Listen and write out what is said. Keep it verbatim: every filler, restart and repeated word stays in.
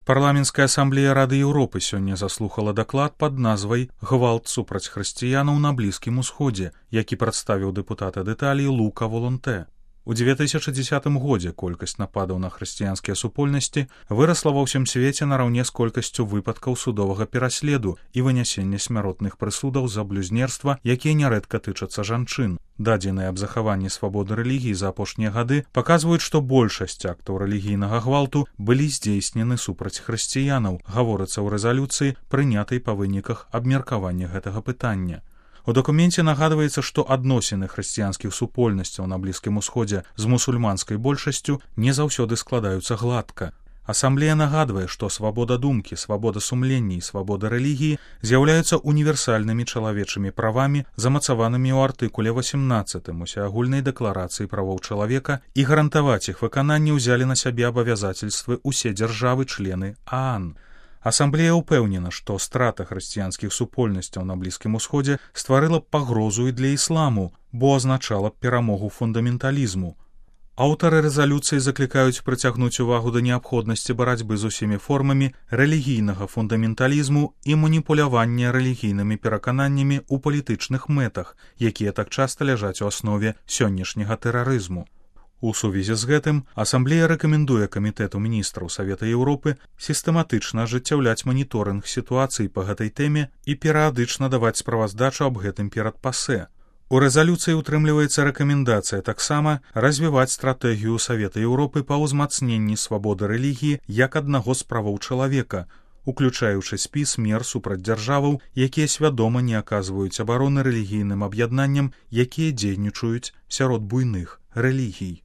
Парламенская асамблея Рады Еўропы сёння заслухала даклад пад назвай «Гвалт супраць хрысціянаў на Блізкім Усходзе», які прадставіў дэпутат ад Італіі Лука Волонтэ. У дзве тысячы дзесятым годзе колькасць нападаў на хрысціянскія супольнасці вырасла ва ўсім свеце нараўне з колькасцю выпадкаў судовага пераследу і вынясення смяротных прысудаў за блюзнерства, якія нярэдка тычацца жанчын. Дадзеныя аб захаванні свабоды рэлігіі за апошнія гады паказваюць, што большасць актаў рэлігійнага гвалту былі здзейснены супраць хрысціянаў, гаворыцца ў рэзалюцыі, прынятай па выніках абмеркавання гэтага пытання. У дакуменце нагадваецца, што адносіны хрысціянскіх супольнасцяў на Блізкім Усходзе з мусульманскай большасцю не заўсёды складаюцца гладка. Асамблея нагадвае, што свабода думкі, свабода сумлення і свабода рэлігіі з'яўляюцца універсальнымі чалавечымі правамі, замацаванымі ў артыкуле васемнаццатым усеагульнай дэкларацыі правоў чалавека, і гарантаваць іх выкананне ўзялі на сябе абавязацельствы ўсе дзяржавы-члены ААН. Асамблея ўпэўнена, што страта хрысціянскіх супольнасцяў на Блізкім Усходзе стварыла б пагрозу і для ісламу, бо азначала б перамогу фундаменталізму. Аўтары рэзалюцыі заклікаюць прыцягнуць увагу да неабходнасці барацьбы з усімі формамі рэлігійнага фундаменталізму і маніпулявання рэлігійнымі перакананнямі ў палітычных мэтах, якія так часта ляжаць у аснове сённяшняга тэрарызму. У сувязі з гэтым асамблея рэкамендуе камітэту міністраў Савета Еўропы сістэматычна ажыццяўляць маніторынг сітуацыі па гэтай тэме і перыядычна даваць справаздачу аб гэтым перад ПАСЭ. У рэзалюцыі ўтрымліваецца рэкамендацыя таксама развіваць стратэгію Савета Еўропы па ўзмацненні свабоды рэлігіі як аднаго з правоў чалавека, уключаючы спіс мер супраць дзяржаваў, якія свядома не аказваюць абароны рэлігійным аб'яднанням, якія дзейнічаюць сярод буйных рэлігій.